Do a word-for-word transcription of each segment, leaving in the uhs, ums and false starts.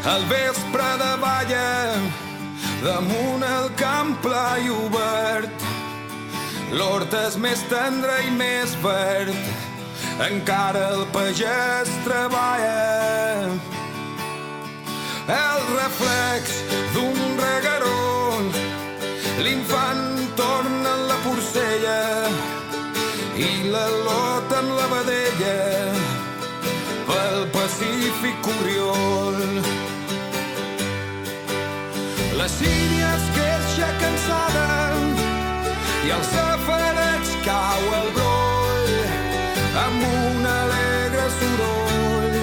al vespre de balla, damunt el camp pla i obert. L'hort és més tendre i més verd, encara el pagès treballa. El reflex d'un regueró, l'infant torna en la porcella i la lota en la vedella, pel Pacífic Oriol. La sínia es queixa cansada i al safareig cau el broll amb un alegre soroll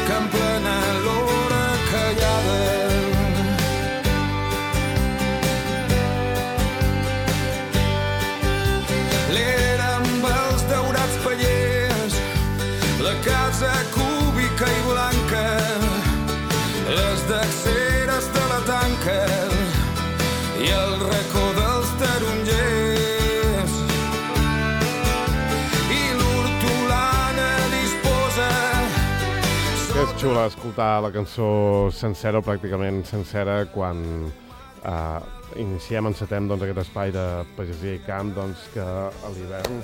que emplena l'hora callada. L'era amb els daurats pallers, la casa cúbica i blanca, les dacceres de la tanca i el racó dels tarongers. I l'hortolana disposa... Que és xula escoltar la cançó sencera o pràcticament sencera quan eh, iniciem, encetem doncs, aquest espai de pagesia i camp doncs, que a l'hivern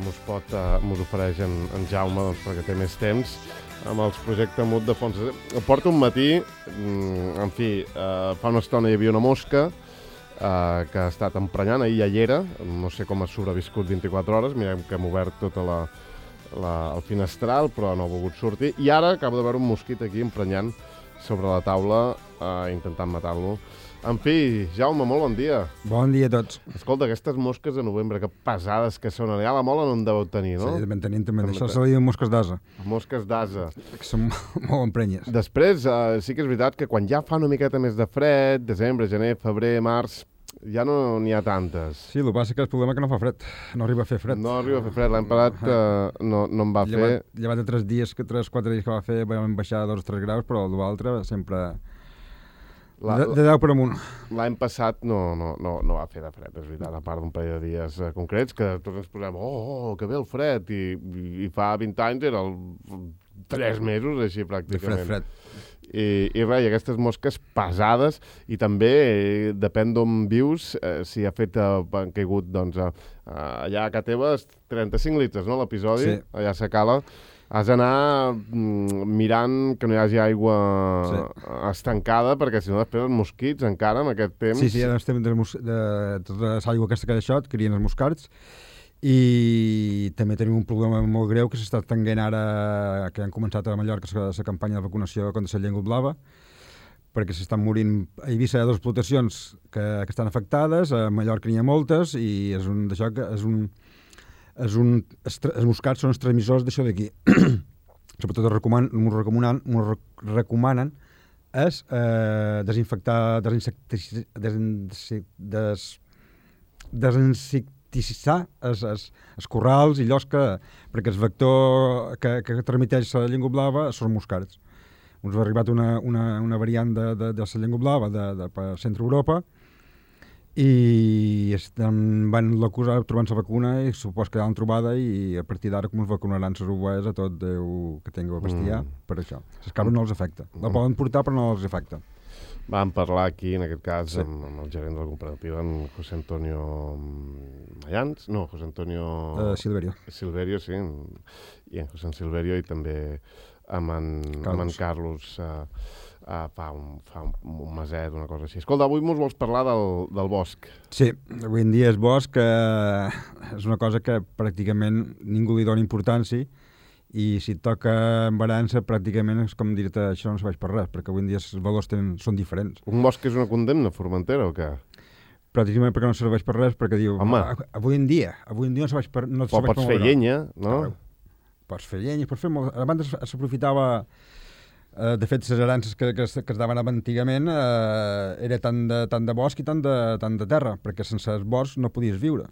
mos pot, eh, mos ofereix en, en Jaume doncs, perquè té més temps amb els projectes Mut de fons. Porto un matí, en fi, eh, fa una estona hi havia una mosca eh, que ha estat emprenyant, ahir ja hi era, no sé com ha sobreviscut vint-i-quatre hores, mirem que hem obert tota la, la, el finestral, però no ha volgut sortir, i ara acabo de veure un mosquit aquí emprenyant sobre la taula, eh, intentant matar-lo. En fi, Jaume, molt bon dia. Bon dia a tots. Escolta, aquestes mosques de novembre, que pesades que són. Ja la mola no en deveu tenir, no? Sí, ben tenim també. Això se li diuen mosques d'asa. Mosques d'asa. Que són molt emprenyes. Després, eh, sí que és veritat que quan ja fa una miqueta més de fred, desembre, gener, febrer, març, ja no n'hi ha tantes. Sí, el que passa que el problema és que no fa fred. No arriba a fer fred. No arriba a fer fred. L'any passat eh, no, no en va llevat, fer... Llevat de tres dies, que tres, quatre dies que va fer, vam baixar dos o tres graus, però l'altre sempre... La, de, de deu per amunt. L'any passat no, no, no, no va fer de fred, és veritat, a part d'un parell de dies eh, concrets, que tots ens posem, oh, oh, que bé el fred, i, i, i fa vint anys era el, tres mesos, així pràcticament. De fred, fred. I, i res, i aquestes mosques pesades, i també, eh, depèn d'on vius, eh, si ha fet, eh, han caigut, doncs, eh, allà a casa teva, trenta-cinc litres, no, l'episodi? Sí. Allà a Sacala. Has d'anar mm, mirant que no hi hagi aigua sí. estancada, perquè si no després els mosquits encara en aquest temps... Sí, sí, ara estem de, de tota l'aigua aquesta que ha deixat, crien els moscards, i també tenim un problema molt greu que s'està estenguent ara, que han començat a Mallorca la campanya de vacunació contra la llengua blava, perquè s'estan morint a Eivissa hi ha dues explotacions que, que estan afectades, a Mallorca n'hi ha moltes, i és un d'això que és un... És un, els moscats són els transmissors d'això d'aquí. Sobretot es recomanen, recomanen, recomanen és eh, desinfectar, desinsectici, des, des, desinsecticitzar els, els, els corrals i llocs que, perquè el vector que, que transmeteix la llengua blava són moscards. Ens ha arribat una, una, una variant de, de, de la llengua blava de, de, per Centre Europa, i estan, van l'acusar trobant la vacuna i supos que l'han trobada, i a partir d'ara com es vacunaran les ovelles a tot Déu que tingui bestiar, mm. per això. Les cabres no els afecta. La poden portar però no els afecta. Vam parlar aquí, en aquest cas, sí. amb, amb el gerent de la cooperativa, en José Antonio Mayans, no, José Antonio... Uh, Silverio. Silverio, sí, i en José Silverio, i també amb en Carlos, amb en Carlos uh, Uh, fa, un, fa un, un meset, una cosa així. Escolta, avui mos vols parlar del, del bosc. Sí, avui en dia el bosc eh, és una cosa que pràcticament ningú li dona importància, i si et toca embarança pràcticament és com dir-te això no serveix per res, perquè avui en dia els valors tenen, són diferents. Un bosc és una condemna, Formentera, o què? Pràcticament perquè no serveix per res, perquè diu, home, avui en dia, avui en dia no serveix per, no serveix per pots fer llenya, no? no? Pots fer llenya, pots fer molt... Abans s'aprofitava... Uh, de fet, les herances que, que, que es daven antigament uh, era tant de, tant de bosc i tant de, tant de terra, perquè sense el bosc no podies viure.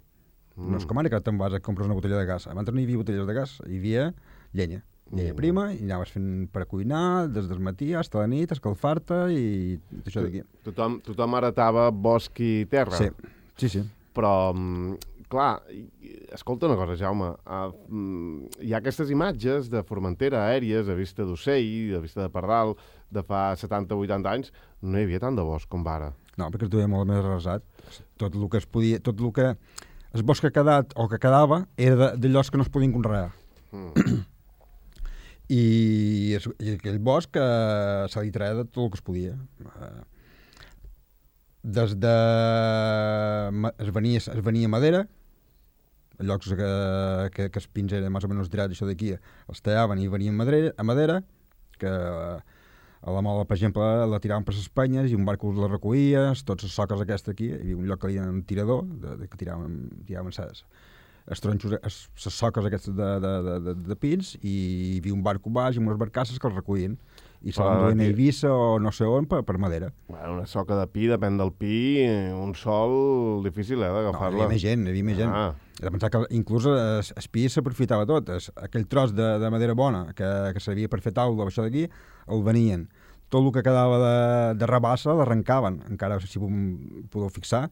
Mm. No és com ara que te'n vas a comprar una botella de gas. Abans no hi havia botelles de gas, hi havia llenya. Llenya mm. prima, i anaves fent per a cuinar, des del matí fins a la nit, escalfar-te i això d'aquí. Tothom, tothom heretava bosc i terra. Sí, sí, sí. Però clar, escolta una cosa, Jaume, uh, hi ha aquestes imatges de Formentera aèries, de vista d'ocell, de vista de pardal, de fa setanta o vuitanta anys, no hi havia tant de bosc com ara. No, perquè es duia molt més arrasat. Tot el que es podia, tot el que... El bosc que ha quedat, o que quedava, era de, de llocs que no es podien conrear. Mm. I, es, I aquell bosc eh, se li treia de tot el que es podia. Eh, des de... Es venia, es venia madera, a llocs que, que, que els pins eren més o menys tirats, això d'aquí, els tallaven i venien madera, a madera, que a la mola, per exemple, la tiraven per les penyes i un barco la recollia, tots les soques aquestes aquí, hi havia un lloc que hi havia un tirador, de, de, que tiraven, tiraven ses, els tronxos, les soques aquestes de, de, de, de, de pins, i hi havia un barco baix i unes barcasses que els recollien i se l'enduien a Eivissa o no sé on per, per madera. Bueno, una soca de pi, depèn del pi, un sol difícil, eh, d'agafar-la. No, hi havia més gent, hi havia més gent. Ah. He de pensar que inclús el, el pi s'aprofitava tot. Es, aquell tros de, de madera bona que, que servia per fer taula o això d'aquí, el venien. Tot el que quedava de, de rabassa l'arrencaven, encara si podeu fixar,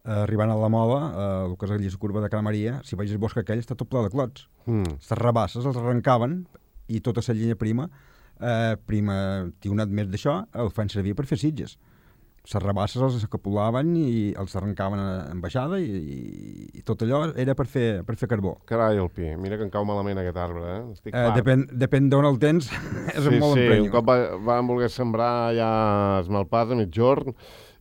eh, arribant a la mola, eh, el que és la curva de Cala Maria, si veig el bosc aquell està tot ple de clots. Mm. Les rabasses els arrencaven i tota la llenya prima, eh, prima tionat més d'això, el fan servir per fer sitges. Les rabasses els escapulaven i els arrencaven en baixada i, i, i tot allò era per fer, per fer carbó. Carai, el pi. Mira que em cau malament aquest arbre, eh? Estic eh depèn depèn d'on el tens, és sí, molt sí, emprenyo. un cop va, van voler sembrar ja es malpàs a mitjorn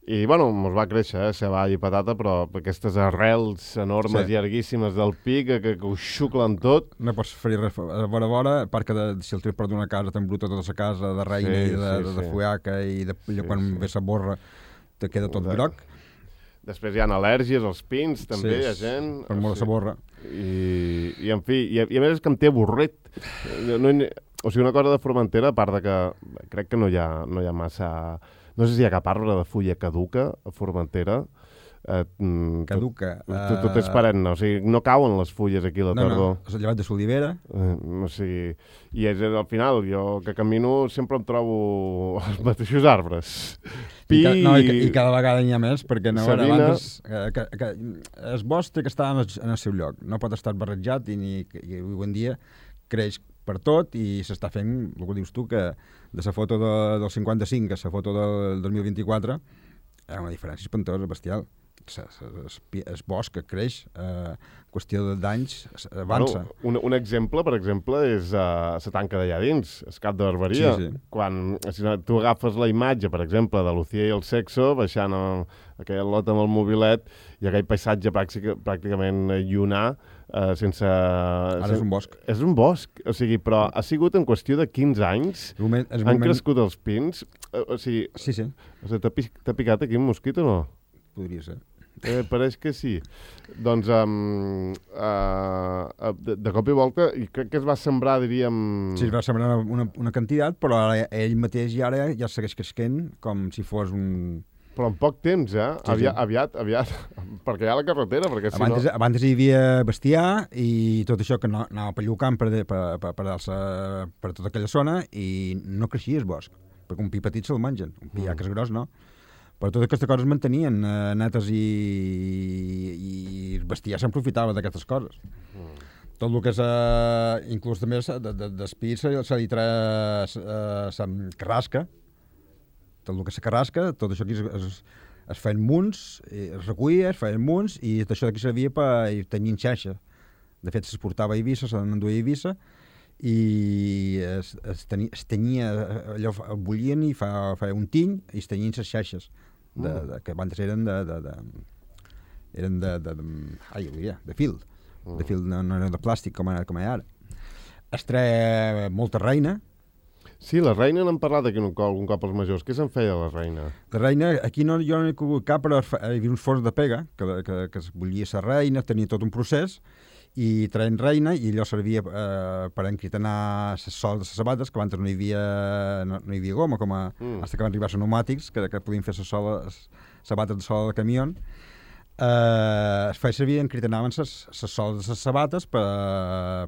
i, bueno, mos va créixer, eh, ceballa i patata, però aquestes arrels enormes sí. llarguíssimes del pi que, que, que ho xuclen tot. No pots fer res a vora a vora, a part que de, si el tens per d'una casa t'embruta tota la casa de reina sí, i de, sí, de, de sí. fuaca i de, sí, quan sí. ve la borra te queda tot de... groc. Després hi ha al·lèrgies als pins, també, sí, hi ha gent... Per molt de la borra. I, i, en fi, i, i a més és que em té avorrit. No, no, o sigui, una cosa de Formentera, a part de que crec que no hi ha, no hi ha massa... No sé si hi ha cap arbre de fulla caduca a Formentera. Eh, caduca. Tot, tot, tot és perenne, o sigui, no cauen les fulles aquí a la no, tardor. No, és llevat de l'olivera. Eh, o sigui, i és, al final, jo que camino sempre em trobo els mateixos arbres. Pi... I, ca, no, i, i cada vegada n'hi ha més, perquè no, abans, que, que, que, el bosc té que estar en el, en el seu lloc. No pot estar barrejat i, ni, i avui en dia creix per tot i s'està fent, el que dius tu, que de la foto de, del cinquanta-cinc a la foto del dos mil vint-i-quatre hi ha una diferència espantosa, bestial. El bosc que creix, eh, qüestió d'anys, avança. Bueno, un, un exemple, per exemple, és uh, la tanca d'allà dins, el cap de barberia. Sí, sí. Quan si tu agafes la imatge, per exemple, de Lucía i el Sexo, baixant a, a aquell lot amb el mobilet, i aquell paisatge pràctica, pràcticament llunà, uh, sense... Ara sen... és un bosc. És un bosc, o sigui, però ha sigut en qüestió de quinze anys, el moment, el han moment... crescut els pins, uh, o sigui... Sí, sí. O sigui, t'ha picat aquí un mosquit o no? Podria ser. Eh, pareix que sí. Doncs, um, uh, de, de cop i volta, i crec que es va sembrar, diríem... Sí, es va sembrar una, una quantitat, però ara ell mateix i ara ja segueix creixent com si fos un... Però en poc temps, eh? Sí, aviat, sí. aviat, aviat, perquè hi ha la carretera, perquè si abans, no... Abans hi havia bestiar i tot això que no, anava pellucant per, per, per, per, per, per tota aquella zona i no creixia el bosc, perquè un pi petit se'l mengen, un pi mm. ja que és gros, no? Però totes aquestes coses es mantenien eh, netes i, i el bestiar s'aprofitava d'aquestes coses. Mm. Tot el que és, eh, inclús també d'espí se, se li treia eh, carrasca, tot el que és carrasca, tot això aquí es, es, es feien munts, es recollia, es feien munts, i això d'aquí servia per tenir xaixa. De fet, s'exportava a Eivissa, se n'enduia a Eivissa, i es, es, tenia, es tenia, allò bullien i fa, fa un tiny i es tenien les xaixes de, de, que abans eren de, de, de eren de, de, de, ai, de fil de fil, no, no eren de plàstic com, com hi ha ara. Es treia molta reina. Sí, la reina n'han parlat aquí un cop, un cop als majors. Què se'n feia la reina? La reina, aquí no, jo no he cogut cap, però hi havia uns forns de pega que, que, que es bullia la reina, tenia tot un procés, i traien reina, i allò servia eh, per encritenar les soles de les sabates, que abans no hi havia, no, no hi havia goma, com a, mm. fins que van arribar els pneumàtics, que, que podien fer les soles, sabates de sola de camió. Uh, es feia servir, encritenaven les soles de les sabates per,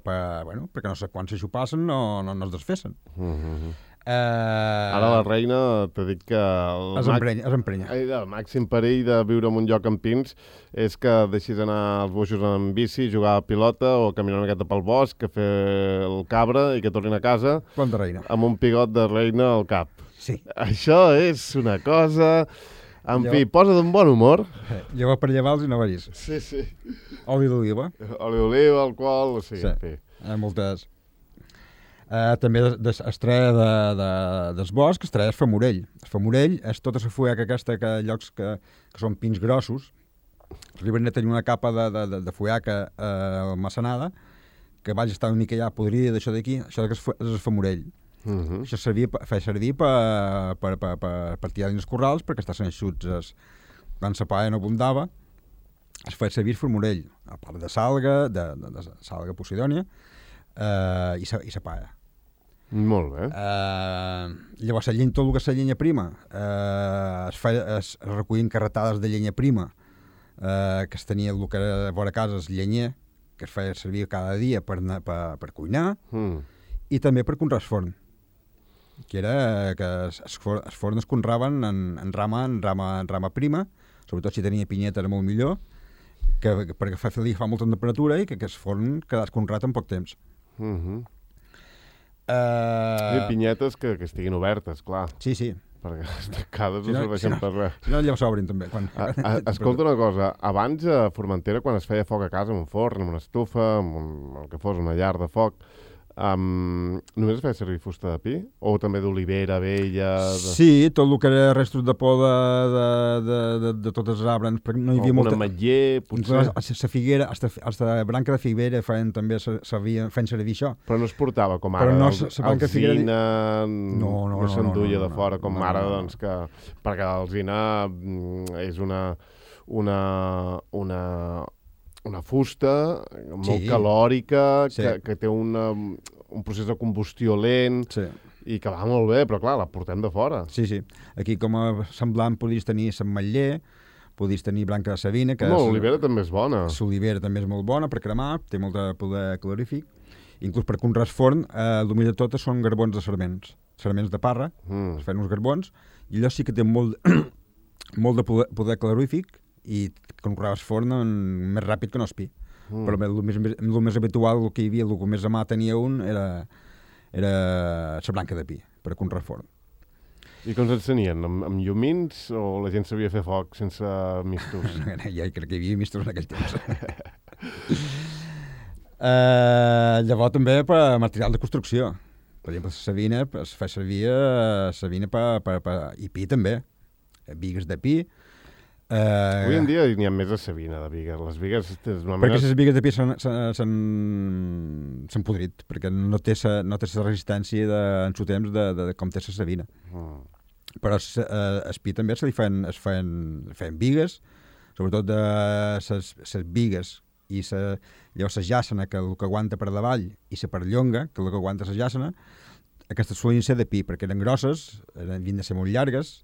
per, bueno, perquè no sé quan s'aixupassen no, no, no es desfessen. Mm-hmm. Uh, Ara la reina t'ha dit que el, es emprenya, es emprenya. el màxim perill de viure en un lloc amb pins és que deixis anar els boixos en bici, jugar a pilota o caminar una miqueta pel bosc, que fer el cabra i que tornin a casa Planta reina. amb un pigot de reina al cap. Sí. Això és una cosa... En Lleva... fi, posa d'un bon humor. Lleva per llevar-los i no veris. Sí, sí. Oli d'oliva. Oli d'oliva, alcohol, o sigui, sí. en fi. Eh, moltes... Uh, també de, de, es treia de, de, dels boscs, es treia el famorell. El famorell és tota la fueca aquesta que llocs que, que són pins grossos. Arriben a tenir una capa de, de, de, de fueca uh, almacenada que vaig estar una mica ja podrida d'això d'aquí. Això és el famorell. Uh-huh. Això servia, feia servir per, per, per, per, per tirar dins els corrals perquè estaven eixuts es, quan la paella no abundava es feia servir el formorell a part de salga, de, de, de salga posidònia eh, i, sa, i la paella. Molt bé. Eh, llavors la llenya, tot el que és la llenya prima eh, es, feia, es, es recollien carretades de llenya prima eh, que es tenia el que era a vora casa el llenyer que es feia servir cada dia per, per, per cuinar mm. i també per conrear el forn que era que els forns es conraven en, en, rama, en, rama, en rama prima, sobretot si tenia pinyeta era molt millor, que, que, perquè fa, fa molta temperatura i que, que el forn quedàs conrat en poc temps. Uh-huh. Uh... I pinyetes que, que estiguin obertes, clar. Sí, sí. Perquè les tancades si no, no serveixen si no, per res. Si no, llavors s'obrin també. Quan... A, a, escolta una cosa, abans a Formentera, quan es feia foc a casa, amb un forn, amb una estufa, amb un, el que fos, una llar de foc, Um, només es feia servir fusta de pi? O també d'olivera, vella... De... Sí, tot el que era restos de poda de, de, de, de tots els arbres. No hi havia o molta... una ametller, potser... La figuera, hasta branca de figuera feien també servir, feien servir això. Però no es portava com Però ara, no, alzina, figuera... no, no, no, no s'enduia no, no, de fora com no, ara, no, no. doncs que... Perquè l'alzina és una... una, una una fusta molt sí. calòrica, sí. que, que té una, un procés de combustió lent sí. i que va molt bé, però clar, la portem de fora. Sí, sí. Aquí com a semblant podies tenir l'ametller, podies tenir blanca de savina... Que no, l'olivera també és bona. L'olivera també és molt bona per cremar, té molt de poder calorífic. Inclús per conrear forn, eh, el millor de tot són garbons de sarments. Sarments de parra, mm. es fan uns garbons, i allò sí que té molt, molt de poder, poder calorífic, i conreaves forn més ràpid que no espí. Mm. Però el més, el més habitual, el que hi havia, el que més a mà tenia un, era, era la blanca de pi, per conrear forn. I com s'encenien? Amb, amb llumins o la gent sabia fer foc sense mistos? Ja crec que hi havia mistos en aquell temps. uh, llavors també per material de construcció. Per exemple, la savina es fa servir la savina per, per, per, i pi també. Bigues de pi. Uh, Avui en dia n'hi ha més de savina de bigues. Les bigues... Perquè manera... les bigues de pi s'han podrit, perquè no té la no té resistència de, en su temps de, de, de com té la savina. Mm. Però uh, el pi també se li fan, es fan, fan bigues, sobretot de les bigues i sa, llavors la jàssena, que el que aguanta per davall, i la perllonga, que el que aguanta la jàssena, aquestes solien ser de pi, perquè eren grosses, eren, havien de ser molt llargues,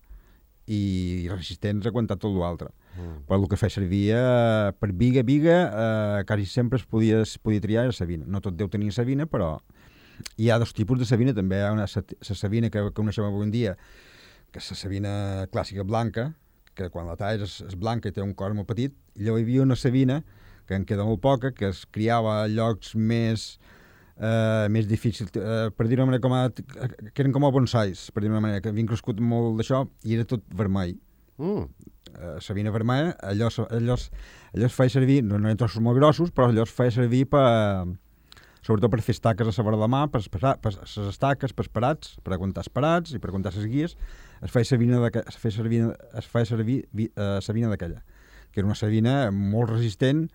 i resistents a aguantar tot l'altre. Mm. Però el que feia servir eh, per biga, biga, eh, quasi sempre es podia, es podia triar la savina. No tot deu tenir savina, però hi ha dos tipus de savina també. Hi ha una la savina que, que coneixem avui en dia, que és la savina clàssica blanca, que quan la talles és, és blanca i té un cor molt petit, i llavors hi havia una savina, que en queda molt poca, que es criava a llocs més... Uh, més difícil, uh, per dir-ho manera com a, que eren com a bonsais, per dir-ho manera, que havien crescut molt d'això i era tot vermell. Mm. Uh, savina vermella, allò, allò, allò es feia servir, no, no eren trossos molt grossos, però allò es feia servir per, sobretot per fer estaques a sobre la mà, per les estaques, per esperats, per aguantar esperats i per aguantar les guies, es feia servir, es feia servir, es feia servir uh, savina d'aquella, que era una savina molt resistent.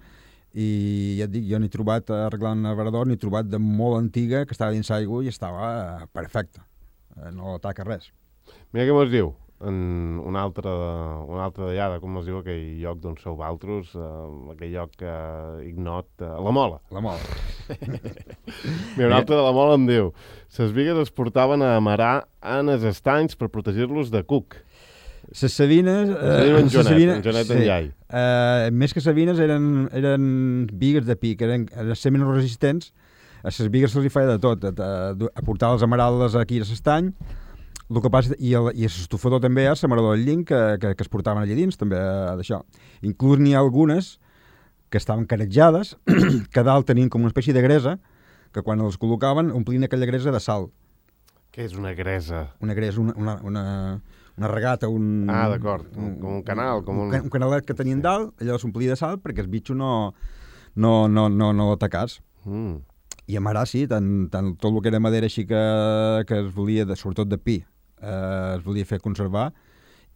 I ja et dic, jo n'he trobat arreglant un abrador, n'he trobat de molt antiga que estava dins l'aigua i estava perfecta, no ataca res. Mira què mos diu en un altre, un altre d'allà, com es diu aquell lloc d'on sou valtros, eh, aquell lloc eh, ignot, eh, la Mola. La Mola. Mira, un altre de la Mola em diu: les bigues es portaven a amarar en els estanys per protegir-los de cuc. Les sabines... Eh, en Jonet, sabina, en Jonet sí. en Llai. Uh, més que sabines eren, eren bigues de pi, que eren, eren menys resistents. A les bigues se'ls feia de tot, a, a, a portar les emeraldes aquí a l'estany, el que passa, i, el, i l'estufador també, a l'amarador del llinc, que, que, que es portaven allà dins, també d'això. Inclús n'hi ha algunes que estaven carejades, que dalt tenien com una espècie de gresa, que quan els col·locaven omplien aquella gresa de sal. Què és una gresa? Una gresa, una, una, una, una regata, un... Ah, d'acord, un, com un canal. Com un... un canalet que tenien sí. dalt, allò s'omplia de sal perquè el bitxo no, no, no, no, no l'atacàs. Mm. I a Marà sí, tant, tant tot el que era madera així que, que es volia, de, sobretot de pi, eh, es volia fer conservar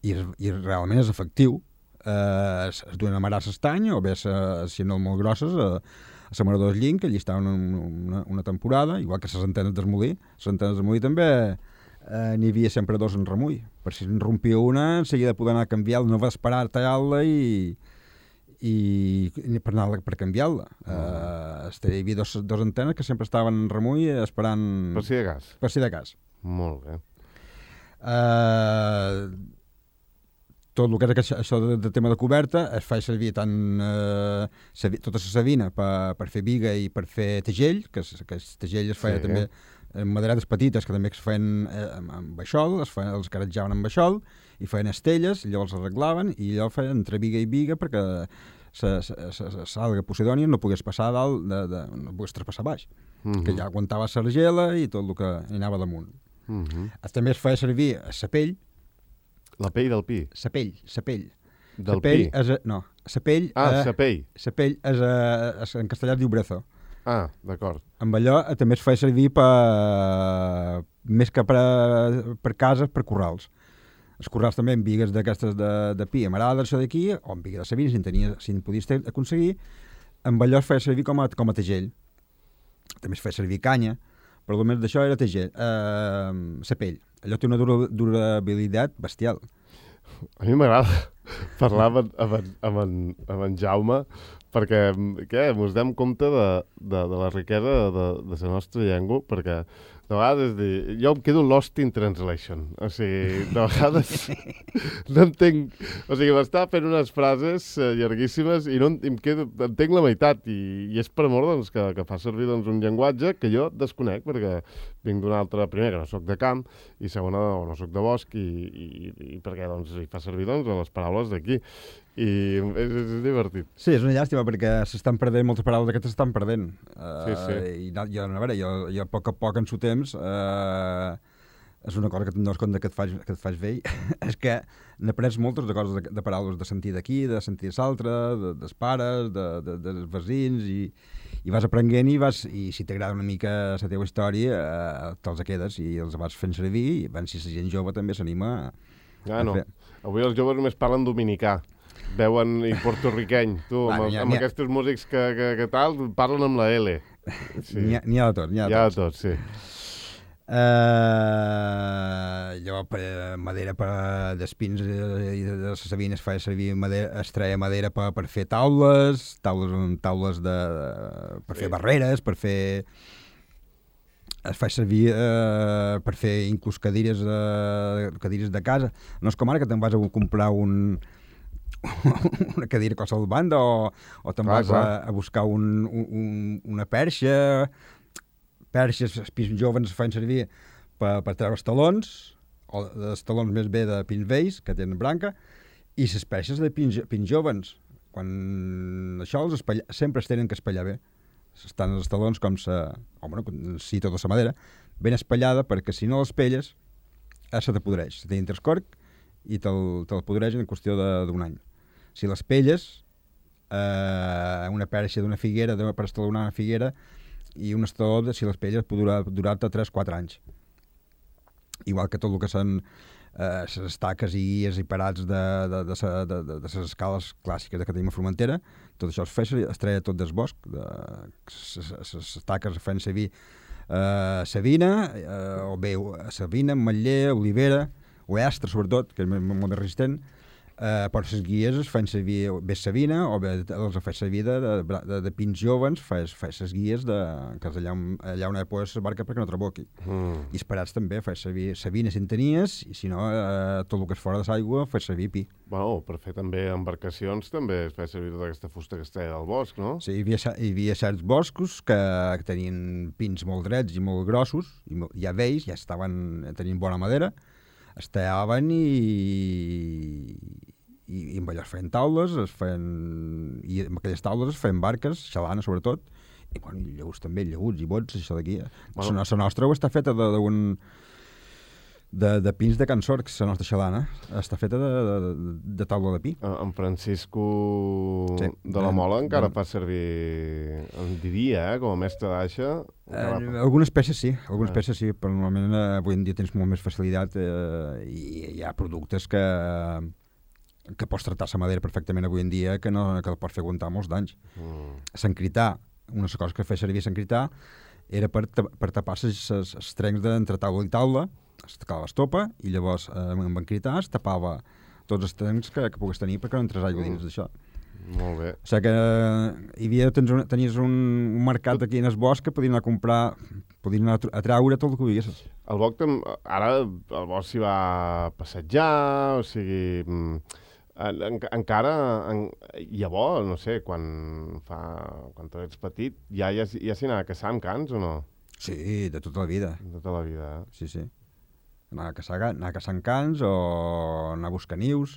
i, i realment és efectiu. Eh, es, es duen a Marà s'estany o bé, si no molt grosses, a, a l'amarador del llinc, que allí estaven una, una, una temporada, igual que les antenes d'esmolí. Les antenes d'esmolí també eh, n'hi havia sempre dos en remull. Per si en rompia una, en seguida poder anar a canviar-la, no va esperar a tallar-la i... i per, anar, per canviar-la. Mm. Uh, hi havia dos, dos antenes que sempre estaven en remull esperant... Per si de cas. Per si de cas. Molt bé. Uh, tot el que és això de, de tema de coberta es fa servir tant uh, sabi, tota la sabina per, per fer biga i per fer tegell, que, que el tegell es feia sí, també en maderetes petites que també es feien eh, amb baixol, es feien, els caratjaven amb baixol i feien estelles, i llavors arreglaven i allò feien entre biga i biga perquè la salga Posidònia no pogués passar dalt, de, de, no pogués traspassar baix, uh-huh. que ja aguantava l'argela i tot el que hi anava damunt. Uh-huh. També es feia servir la pell. La pell del pi? La pell, la pell. Del sa pell pi? És a, no, la pell... Ah, la pell. La pell és, a, és en castellà es diu brezo. Ah, d'acord. Amb allò també es feia servir per, més que per, per cases, per corrals. Els corrals també amb bigues d'aquestes de, de pi, amarada, això d'aquí, o amb biga de sabina, si en, tenia, si en podies aconseguir, amb allò es feia servir com a, com a tegell. També es feia servir canya, però almenys d'això era tegell. Eh, la pell. Allò té una dura, durabilitat bestial. A mi m'agrada parlar amb, amb, amb, en, amb en Jaume perquè què, ens dem compte de, de, de la riquesa de, de la nostra llengua, perquè de vegades dir, jo em quedo lost in translation. O sigui, de vegades no entenc... O sigui, m'està fent unes frases eh, llarguíssimes i no em quedo, entenc la meitat. I, i és per amor doncs, que, que fa servir doncs, un llenguatge que jo desconec, perquè vinc d'una altra... Primer, que no soc de camp, i segona, no, no soc de bosc, i, i, i perquè doncs, hi fa servir doncs, les paraules d'aquí. I és, és divertit. Sí, és una llàstima perquè s'estan perdent, moltes paraules d'aquestes s'estan perdent. Uh, sí, sí. I jo, a veure, jo, jo a poc a poc en su temps, uh, és una cosa que te'n dones compte que et fas, que et fas vell, és que n'aprens moltes de coses, de, de paraules de sentir d'aquí, de sentir l'altre, de, dels pares, de, de, dels veïns, i, i vas aprenent i, vas, i si t'agrada una mica la teva història, uh, te'ls quedes i els vas fent servir, i ben, si la gent jove també s'anima a, ah, a no. fer. Avui els joves només parlen dominicà. Veuen i portorriqueny, tu, amb, bueno, amb aquests músics que, que, que tal, parlen amb la L. Sí. N'hi ha, n'hi ha de tot, n'hi ha de tot. Hi ha de tot, sí. Uh, llavors, per, madera per, d'espins i de la sabina es feia servir madera, es treia madera per, per fer taules, taules, taules de, per sí. fer barreres, per fer... Es fa servir eh, per fer inclús cadires, eh, cadires de casa. No és com ara que te'n vas a comprar un... una cadira a qualsevol banda o, o te'n vas a, a buscar un, un, una perxa. Perxes, els pins joves fan servir per, per treure els talons, o els talons més bé de pins vells, que tenen branca, i les perxes de pins, pins joves. Quan això els espatlla, sempre es tenen que espatllar bé. Estan els talons com se... O, bueno, si tota la madera, ben espatllada, perquè si no les pelles, eh, se te podreix. Se t'entra el corc i te'l, te'l podreix en qüestió d'un any. Si les pelles, eh, una perxa d'una figuera, de, per estalonar una figuera, i un estaló, si les pelles, pot durar, durar-te tres quatre anys. Igual que tot el que són eh, les estaques i guies i parats de, de, de, de, de, de, de les escales clàssiques que tenim a Formentera, tot això es feia, es treia tot del bosc, de, les estaques es feien servir eh, savina, eh, o bé savina, ametller, olivera, o estre sobretot, que és molt més resistent, Uh, per les guies es fan servir bé savina o bé els fa servir de, de, de, de pins joves, fas les guies de, que allà, allà on hi ha les barca perquè no traboqui. Mm. I esperats també, fas servir savina si en tenies, i si no, uh, tot el que és fora de l'aigua, fas servir pi. Bueno, per fer també embarcacions també es fa servir tota aquesta fusta que es treia del bosc, no? Sí, hi havia, hi havia certs boscos que, que tenien pins molt drets i molt grossos, i ja vells, ja estaven, tenien bona madera, es tallaven i, i, i amb allò es feien taules, es feien, i amb aquelles taules es feien barques, xalana sobretot, i, bueno, i llaguts també, llaguts i bots, això d'aquí. Bueno. La nostra està feta d'un... De, de pins de Can Sorcs, la nostra xalana, està feta de, de, de taula de pi. En Francisco sí. de la Mola encara de... fa servir, en diria, eh, com a mestre d'aixa. Eh, algunes peces sí, algunes eh. peces sí, però normalment eh, avui en dia tens molt més facilitat eh, i hi ha productes que, que pots tractar la madera perfectament avui en dia que, no, que el pots fer aguantar molts d'anys. Mm. S'encrità, una de les coses que feia servir s'encrità era per, per tapar els trencs d'entre taula i taula, es tacava l'estopa i llavors eh, amb encritar es tapava tots els trencs que, que pugues tenir perquè no entres aigua dins d'això. Molt bé. O sigui que eh, hi havia, tens un, tenies un, un mercat aquí en el bosc que podies anar a comprar, podies anar a treure tot el que veies. El bosc, ara el bosc s'hi va passejar, o sigui... En, en, encara, en, llavors, no sé, quan fa quan tu ets petit, ja, ja, ja s'hi anava a caçar amb cans o no? Sí, de tota la vida. De tota la vida, eh? Sí, sí. Anar a caçar, anar a caçar cans o anar a buscar nius,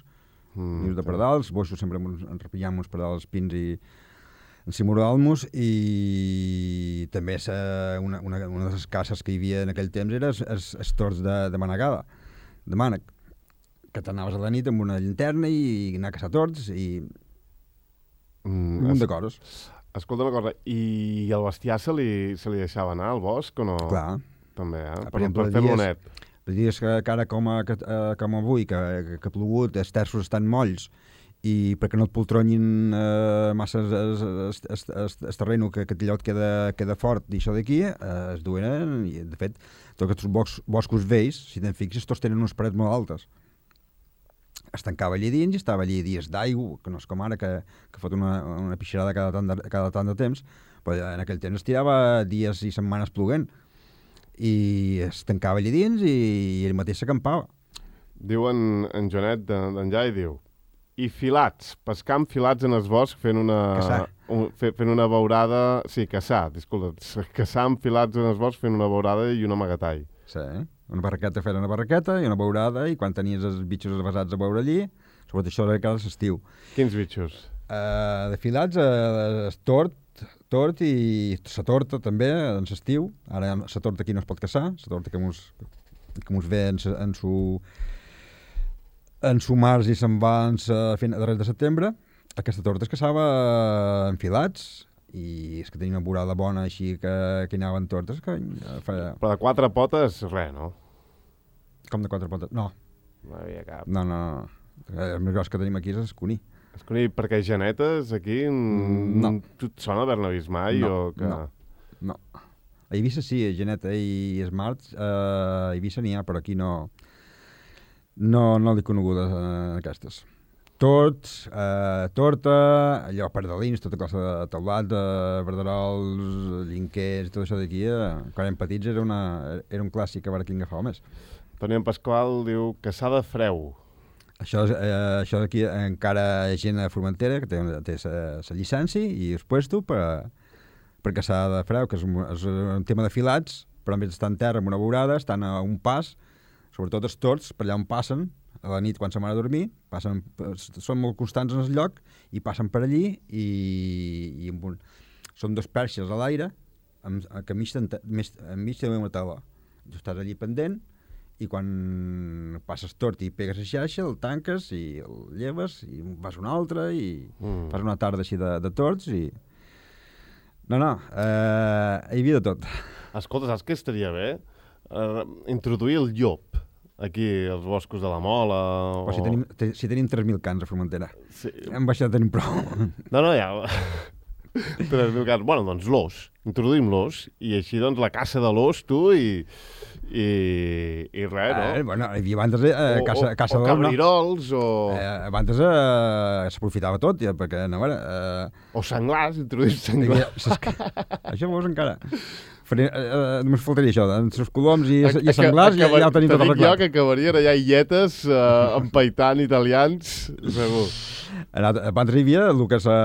mm, nius de pardals, boixos sempre ens repillàvem uns pardals pins i ensimoràvem-nos, i també una, una, una de les caces que hi havia en aquell temps era els, els tords de, de manegada, de mànec, que t'anaves a la nit amb una llanterna i anar a caçar tords i mm, un munt de coses. Escolta una cosa, i el bestiar se li, se li deixava anar al bosc o no? Clar. També, eh? Per, per, exemple, per fer-lo net. Per dies que, que ara com, a, que, uh, com avui, que, que, que ha plogut, els terços estan molls, i perquè no et poltronyin uh, massa el terreny, que, que allò et queda, queda fort, i això d'aquí, uh, es duen, i de fet, tots aquests bos, boscos vells, si te'n fixes, tots tenen unes parets molt altes. Es tancava allí dins i estava allí dies d'aigua, que no és com ara, que, que fot una, una pixarada cada tant, de, cada tant de temps, però en aquell temps es tirava dies i setmanes ploguent, i es tancava allí dins i, i ell mateix s'acampava. Diu en, en Joanet d'en Jai, diu, i filats, pescar amb filats en el bosc fent una... Caçar. Un, fent una beurada... Sí, caçar, disculpa. Caçar amb filats en el bosc fent una beurada i un amagatall. Sí, una barraqueta fent una barraqueta i una beurada, i quan tenies els bitxos avasats a veure allí, sobretot això era cada estiu. Quins bitxos? Uh, de filats, uh, tort, tort i la torta també, en l'estiu. Ara la torta aquí no es pot caçar, la torta que mos, que mos ve en, en su en su març i se'n va en sa, a darrere de setembre. Aquesta torta es caçava en filats, i és que tenia una vorada bona així que, que hi anaven tortes que feia... Però de quatre potes, res, no? Com de quatre potes? No. No hi havia cap. No, no, no. El més gros que tenim aquí és escuní. Escuní, perquè genetes aquí... Mm, no. Tu et sona haver-ne vist mai? No, o que... no, no. A Eivissa sí, geneta i Smart, eh, a Eivissa n'hi ha, però aquí no... No, no l'he coneguda, eh, aquestes. Torts, eh, torta, allò, pardalins, tota cosa de teulat, de verderols, llinquers, tot això d'aquí, eh, quan érem petits era, una, era un clàssic a veure qui en agafava més. Toni en Pasqual diu caçar de freu. Això, eh, això d'aquí encara hi ha gent a Formentera que té, té la llicència i es puesto per, per caçar de freu, que és un, és un tema de filats, però en vez d'estar en terra amb una beurada, estan a un pas, sobretot els torts, per allà on passen, a la nit quan se'n van a dormir, passen, són molt constants en el lloc i passen per allí i, i amb un, són dos perxes a l'aire amb, que enmig de una tela. Tu estàs allí pendent i quan passes tort i pegues a xaixa, el tanques i el lleves i vas una altra i mm. fas una tarda així de, de torts i... No, no, eh, hi havia de tot. Escolta, saps què estaria bé? Uh, introduir el llop aquí, als boscos de la Mola... O... Però si tenim, te, si tenim tres mil cans a Formentera. Sí. Hem baixat, tenim prou. No, no, ja... tres mil cans. Bueno, doncs l'os. introduïm l'os, i així, doncs, la caça de l'os, tu, i, i, i res, no? Eh, bueno, hi havia abans eh, o, caça, caça o, o cabrirols, no? o... Eh, abans eh, s'aprofitava tot, ja, perquè, no, veure... Eh, o senglars, introduïm senglars. Havia, això veus encara... Faré, eh, només faltaria això, entre els coloms i, A, i senglars ja, ja ho tenim tot arreglat. Te dic jo que acabarien allà illetes uh, empaitant italians, segur. Abans hi havia el que la,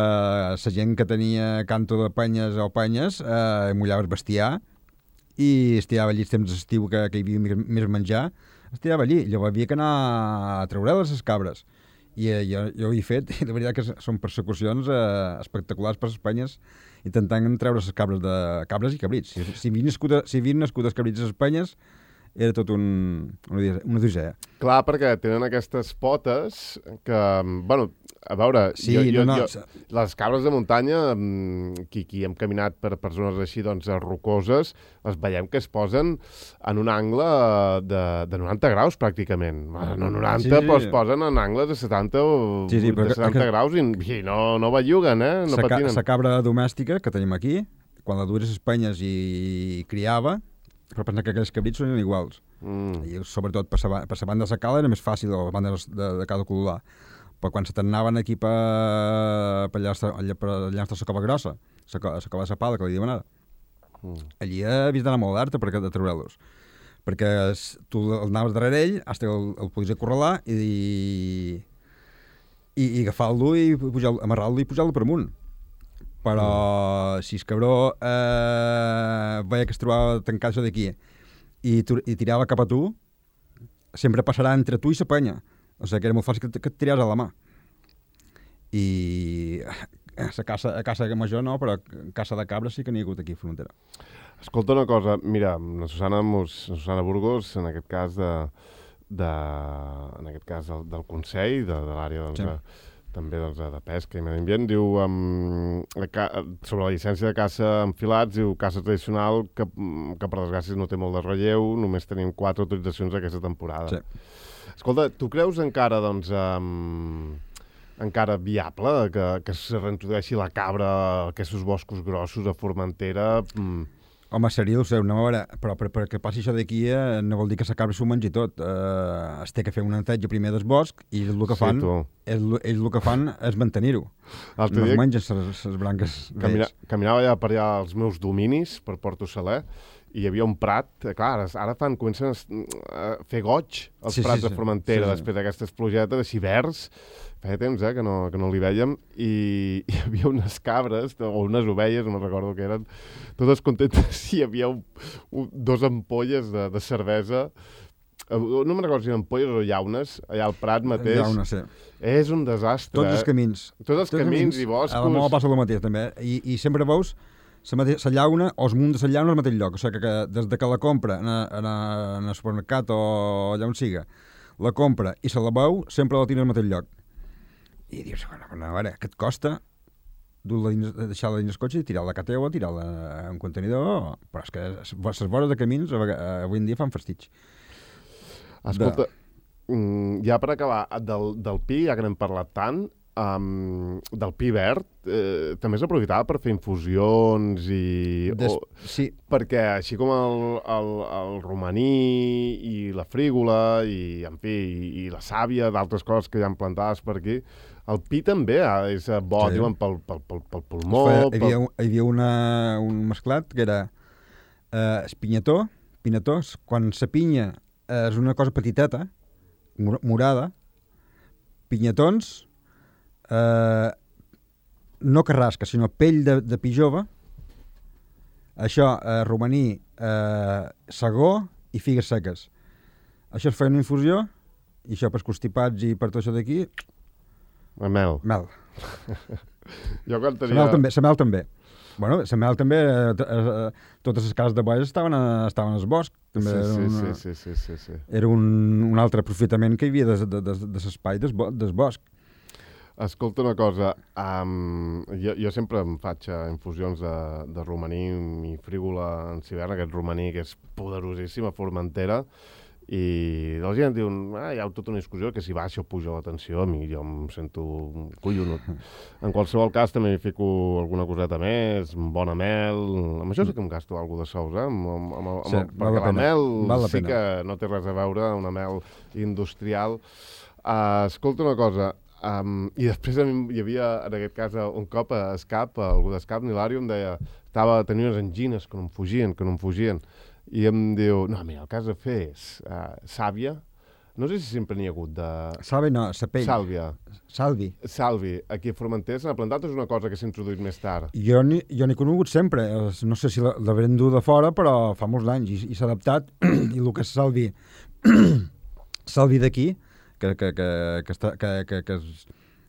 la gent que tenia canto de penyes o penyes, eh, mullava el bestiar i es tirava allí els temps d'estiu que, que hi havia més, més menjar, es tirava allí. Llavors havia que anar a treure-les les cabres. I eh, jo, jo ho he fet, i de veritat que són persecucions eh, espectaculars per les penyes, intentant treure les cabres de cabres i cabrits. Si, si havien nascut, si havien nascut els cabrits a les penyes, era tot un, una odissea. Clar, perquè tenen aquestes potes que, bueno, a veure, sí, jo, jo, no, no. jo, les cabres de muntanya, qui, qui hem caminat per, per zones així, doncs, rocoses, les veiem que es posen en un angle de, de noranta graus, pràcticament. No noranta, sí, sí. Però es posen en angles de setanta o sí, sí, de setanta que, graus i, i no, no belluguen, eh? No sa, patinen. La cabra domèstica que tenim aquí, quan la dues a les penyes i criava, però pensar que aquells cabrits són iguals. Mm. I sobretot per la, per la banda de la cala era més fàcil, o la banda de, de cada color. Però quan se t'anaven aquí per, per allà, allà, per allà de la cova grossa, la cova de la pala, que li diuen ara, mm. allí havies d'anar molt d'arta per de treure-los. Perquè tu anaves darrere ell, fins que el, el podies acorralar i, i, i agafar-lo i amarrar-lo i pujar-lo per amunt. Però mm. si el cabró eh, veia que es trobava tancat això d'aquí i, i tirava cap a tu, sempre passarà entre tu i la penya. O sigui que era molt fàcil que, que et tiraves a la mà. I a caça, a caça major no, però a caça de cabres sí que n'hi ha hagut aquí a Frontera. Escolta una cosa, mira, la Susana, Mus, la Susana Burgos, en aquest cas, de, de, en aquest cas del, del Consell, de, de l'àrea doncs, sí. de, també doncs, de pesca i medi ambient, diu um, sobre la llicència de caça enfilats, diu caça tradicional que, que per desgràcia no té molt de relleu, només tenim quatre autoritzacions aquesta temporada. Sí. Escolta, tu creus encara, doncs, um, encara viable que, que se reintrodueixi la cabra a aquests boscos grossos a Formentera? Mm. Home, seria el seu, no? A veure, però perquè per passi això d'aquí eh, no vol dir que la cabra s'ho mengi tot. Eh, es té que fer un neteja primer del bosc i el que fan, sí, ells, ells el que fan és mantenir-ho. No es mengen les branques. Camina, caminava allà per allà als meus dominis, per Porto Saler, i hi havia un prat, clar, ara fan, comencen a fer goig els sí, prats sí, sí. de Formentera, sí, sí. després d'aquestes plugetes, així verds, feia temps eh, que, no, que no l'hi vèiem, i hi havia unes cabres, o unes ovelles, no me'n recordo què eren, totes contentes, i hi havia un, un, dos ampolles de, de cervesa, no me'n recordo si eren ampolles o llaunes, allà al prat mateix. Llaunes, sí. És un desastre. Tots els camins. Tots els Tots camins, camins i boscos. A la Mola passa el mateix, també, i, i sempre veus la llauna o els munts de la llauna al mateix lloc. O sigui que, que des de que la compra en, en, en el supermercat o allà on siga, la compra i se la veu, sempre la tira al mateix lloc. I dius, bueno, a veure, què et costa deixar-la dins el cotxe i tirar-la a casa teva, tirar-la en un contenidor? Però és que les vores de camins avui en dia fan fastig. Escolta, de... ja per acabar, del, del pi, ja que n'hem parlat tant, Um, del pi verd, eh, també s'aprofitava per fer infusions i... Des... O, sí. Perquè així com el, el, el romaní i la frígola i, en fi, i, i la sàvia, d'altres coses que hi ha plantades per aquí, el pi també és bo, sí. diuen, pel, pel, pel, pel pulmó... Hi havia, pel... hi havia una, un mesclat que era eh, espinyató, pinató, quan la pinya és una cosa petiteta, morada, pinyatons... Uh, no carrasca, sinó pell de, de pi jove, això, uh, romaní, uh, segó i figues seques. Això es feia una infusió, i això per constipats i per tot això d'aquí... Mel. Mel. Jo quan tenia... La mel també. La mel també. Bueno, la mel també, eh, eh, totes les cases de bois estaven, a, estaven al bosc. També sí, sí, una, sí, sí, sí, sí, sí. Era un, un altre aprofitament que hi havia de, de, de, de l'espai del, del bosc. Escolta una cosa, um, jo, jo sempre em faig uh, infusions de, de romaní i frígola en hivern, aquest romaní que és poderosíssim a Formentera, i la gent diu, ah, hi ha tota una discussió que si baixa o puja la tensió, a mi jo em sento collonut. En qualsevol cas també hi fico alguna coseta més, un bon mel, amb això sí que em gasto alguna de sous, eh? Amb, amb, amb, amb, Sí, amb, val la perquè la pena. mel Val la sí pena. que no té res a veure, una mel industrial. Uh, escolta una cosa, um, i després a mi hi havia, en aquest cas, un cop a Escap, a algú d'Escap, l'Hilari em deia, estava, tenia unes angines que no em fugien, que no em fugien, i em diu, no, mira, el que has de fer és uh, sàvia, no sé si sempre n'hi ha hagut de... Salvi no, sapell. Sàlvia. Salvi. Salvi, aquí a Formentera s'ha plantat, és una cosa que s'ha introduït més tard. Jo n'hi jo n'he conegut sempre, es- no sé si la- l'haurem dut de fora, però fa molts anys i, i s'ha adaptat, i el que és Salvi, Salvi d'aquí, que, que, que, que, està, que, que, que, és,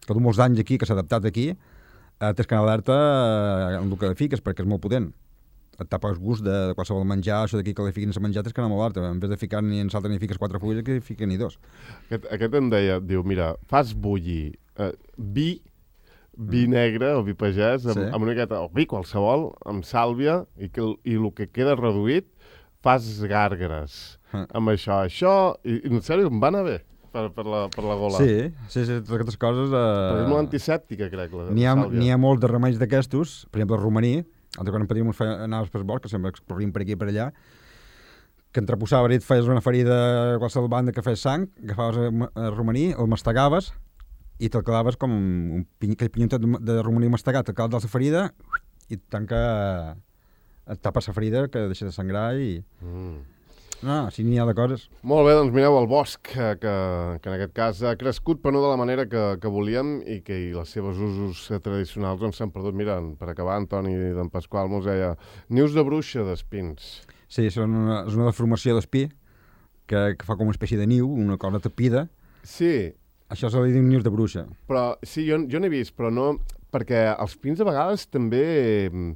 que du molts anys aquí, que s'ha adaptat aquí, eh, tens que anar alerta eh, amb el que fiques, perquè és molt potent. Et tapa el gust de, de qualsevol menjar, això d'aquí que li fiquin a menjar, tens que anar molt alerta. En vez de ficar ni en salta ni fiques quatre fulles, que fiquen ni dos. Aquest, aquest em deia, diu, mira, fas bullir eh, vi, vi negre o vi pagès, amb, Sí. amb una miqueta, o vi qualsevol, amb sàlvia, i, que, el- i el que queda reduït, fas gàrgares Ah. amb això. Això, i, i en sèrio, em va anar bé per, per, la, per la gola. Sí, sí, sí, totes aquestes coses... Però és molt Eh, antisèptica, crec, la, N'hi ha, la sàlvia. n'hi ha molts de remeis d'aquestos, per exemple, el romaní, altre quan en Padrí ens feia, anaves per bosc, que sempre corríem per aquí i per allà, que entreposava et feies una ferida a qualsevol banda que fes sang, agafaves el, ma- el romaní, el mastegaves i te'l quedaves com un piny, aquell pinyotet de, de romaní mastegat, te'l quedaves de la ferida i et tanca, et tapa la ferida que deixa de sangrar i... Mm. No, així n'hi ha de coses. Molt bé, doncs mireu, el bosc, que, que, que en aquest cas ha crescut, però no de la manera que, que volíem i que i les seves usos eh, tradicionals doncs s'han perdut. Mira, per acabar, Antoni d'en Pasqual mos deia nius de bruixa d'espins. Sí, són una, és una deformació d'espí que, que fa com una espècie de niu, una cosa tapida. Sí, Això se li diu nius de bruixa. però sí, jo, jo n'he vist, però no... Perquè els pins a vegades també... mm,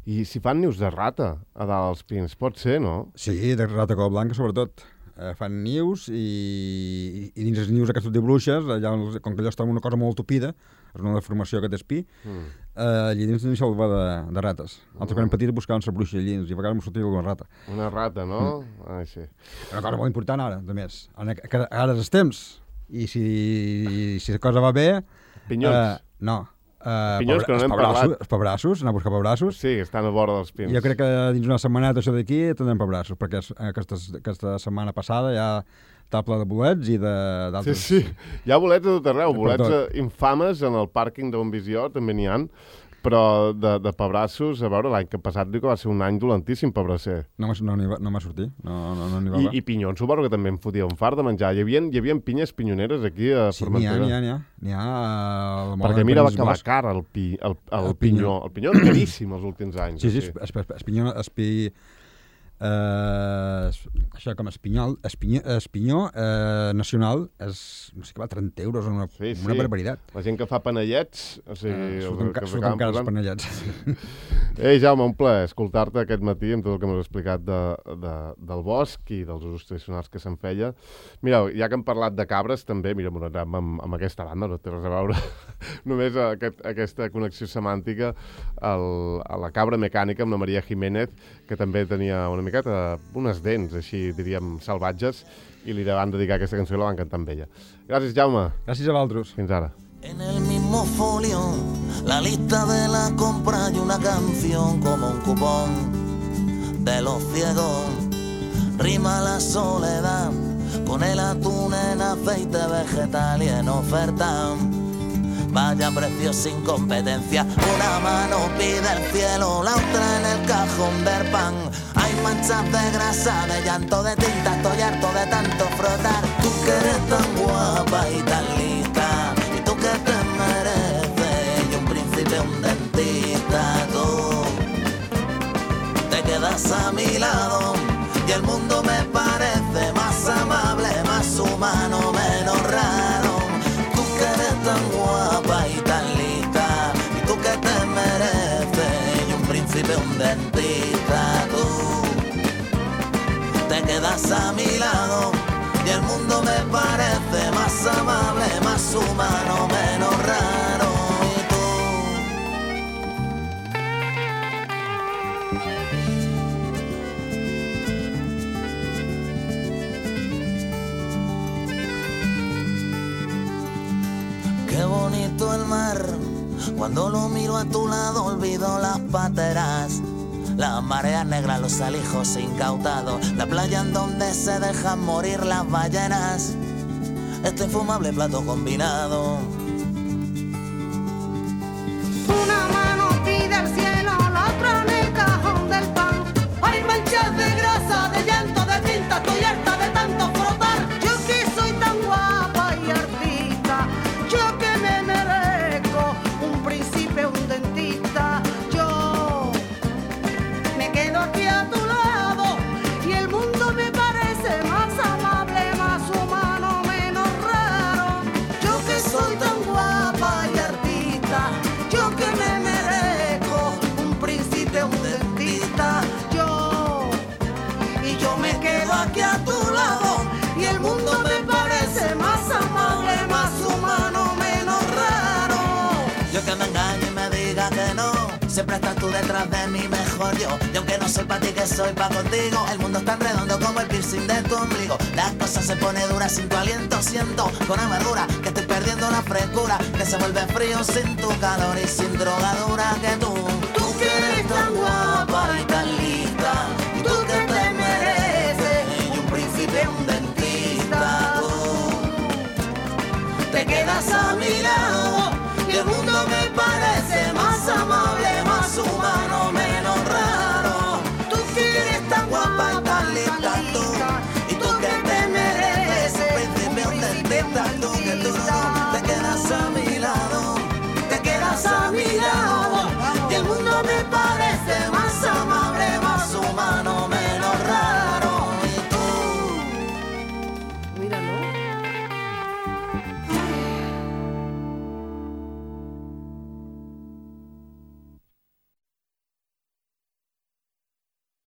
I si fan nius de rata a dalt els pins, pot ser, no? Sí, de rata cova blanca, sobretot. Eh, fan nius i, i dins els nius aquests de bruixes, allà, on els- com que allò està en una cosa molt tupida, és una deformació aquest espí, Mm. eh, allà dins n'hi va de, de rates. Altres quan eren petits buscaven la bruixa allí i a vegades m'ho sortia alguna rata. Una rata, no? Mm. Ai, sí. Una cosa molt important ara, de més. Ara, que ara és els temps. I si, si la cosa va bé... Pinyons. Eh, no. Uh, Pinyons, que no n'hem parlat. Els pebrassos, anar a buscar pebrassos. Sí, estan a vora dels pins. Jo crec que dins una setmaneta això d'aquí tindrem pebrassos, perquè es- aquesta, aquesta setmana passada ja està ple de bolets i de- Sí, d'altres... sí. Hi ha bolets a tot arreu, Per bolets tot. eh, infames en el pàrquing d'on Visió, també n'hi han, però de, de pebrassos, a veure, l'any que passat diu que va ser un any dolentíssim pebrasser. No, m'ha- no, n'hi va- no m'ha sortit, no, no, no n'hi va. I, I pinyons, suposo que també em fotia un fart de menjar. Hi havia, hi havia pinyes pinyoneres aquí a Sí, n'hi ha, Formentera. n'hi ha, n'hi ha. N'hi ha a la moda Perquè de mira Penedès que va Bosc. car el, pi, el, el, El pinyó. pinyó. El pinyó és caríssim els últims anys. Sí, sí, així. es, es, espinyó, espi, eh, es- això com espinyol, espinyó, espinyó eh, nacional és, no sé què va, trenta euros, una, Sí, sí. una barbaritat. La gent que fa panellets, o sigui... Eh, els surten, que ca, s'acaben surten cares posant- panellets. Ei, Jaume, un plaer escoltar-te aquest matí amb tot el que m'has explicat de, de, del bosc i dels usos tradicionals que se'n feia. Mireu, ja que hem parlat de cabres, també, mira, m'ho anem amb, amb aquesta banda, no té res a veure, només aquest, aquesta connexió semàntica el, a la cabra mecànica amb la Maria Jiménez, que també tenia una miqueta, unes dents, així diríem, salvatges, i li van dedicar aquesta cançó i la van cantar amb ella. Gràcies, Jaume. Gràcies a vosaltres. Fins ara. En el mismo folio, la lista de la compra y una canción como un cupón de los ciegos. Rima la soledad con el atún en aceite vegetal y en oferta. Vaya precio sin competencia, una mano pide el cielo, la otra en el cajón del pan. Hay manchas de grasa, de llanto, de tinta, estoy harto de tanto frotar. Tú que eres tan guapa y tan lista, y tú que te mereces, y un príncipe, un dentista, tú te quedas a mi lado, y el mundo me parece más amable, más humano, menos raro. Tú que eres tan guapa y tan lista, y tú que te mereces, y un príncipe, un dentista, tú te quedas a mi lado, y el mundo me parece más amable, más humano, menos raro. Y tú Qué bonito el mar, cuando lo miro a tu lado olvido las pateras, las mareas negras, los alijos incautados, la playa en donde se dejan morir las ballenas, este infumable plato combinado. Una mano pide al cielo, la otra en el cajón del pan. Hay manchas de grasa, de llanto, de tinta, estoy harta de tanto frotar. Yo que soy tan guapa y artista, yo que me merezco un príncipe, un dentista. Yo me quedo aquí a tu lado y el mundo me parece más amable, más humano, menos raro. Yo que soy tan guapa y artista, yo que me merezco un príncipe, un dentista. Yo, y yo me quedo aquí a tu lado y el mundo me parece más amable, más humano, menos raro. Yo que me engaño y me diga que no, siempre estás tú detrás de mí, mejor yo. Y aunque no soy pa' ti, que soy pa' contigo, el mundo es tan redondo como el piercing de tu ombligo. Las cosas se pone duras sin tu aliento, siento con amargura que estoy perdiendo la frescura, que se vuelve frío sin tu calor y sin drogadura. Que tú, tú que eres tan guapa y tan lista, y tú que te mereces y un príncipe, un dentista. Tú te quedas a mi lado